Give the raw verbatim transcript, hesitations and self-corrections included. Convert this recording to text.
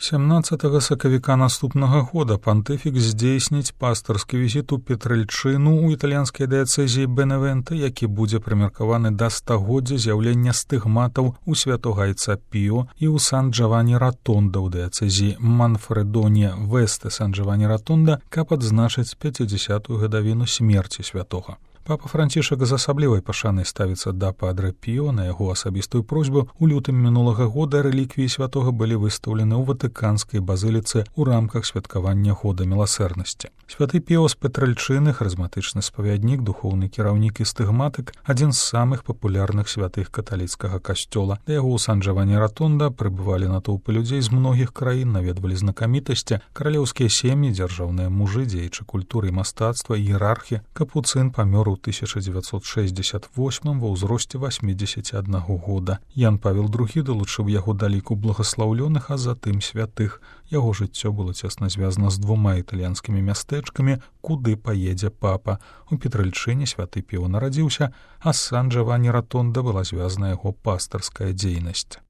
сямнаццатага сакавіка наступнага года пантыфік здзейсніць пастырскі візіт у Петральчыну ў італьянскай дыяцэзіі Беневента, які будзе прымеркаваны да стагоддзя з'яўлення стыгматаў у святога айца Піо і ў Сан-Джавані-Ратонда ў дыяцэзіі Манфредоне-Весте Сан-Джавані-Ратонда, каб адзначыць пяцідзясятую гадавіну смерці святога. Папа Францішак з асаблівай пашанай ставіцца да падрэ Піо. На яго асабістую просьбу у лютым мінулага года рэліквіі святога былі выстаўлены ў ватыканскай базыліцы ў рамках святкавання года міласэрнасці. Святы Піо з Петральчыны, харызматычны спавяднік, духоўны кіраўнік і стыгматык, адзін з самых папулярных святых каталіцкага касцёла. Да яго ў Сан-Джавані-Ратонда прыбывалі натоўпы людзей з многіх краін, наведвалі знакамітасці, каралеўскія сем'і, дзяржаўныя мужы, дзеячы культуры і мастацтва, іерархі. Капуцын памёр у тысяча дзевяцьсот шэсцьдзесят восьмым ва ўзросце васьмідзесяці аднаго года. Ян Павел другі далучыў яго да ліку благаслаўлёных, а затым святых. Яго жыццё было цесна звязана з двума італьянскімі мястэчкамі, куды паедзе папа. У Петральчыне святы Піо нарадзіўся, а з Сан-Джавані-Ратонда была звязана яго пастырская дзейнасць.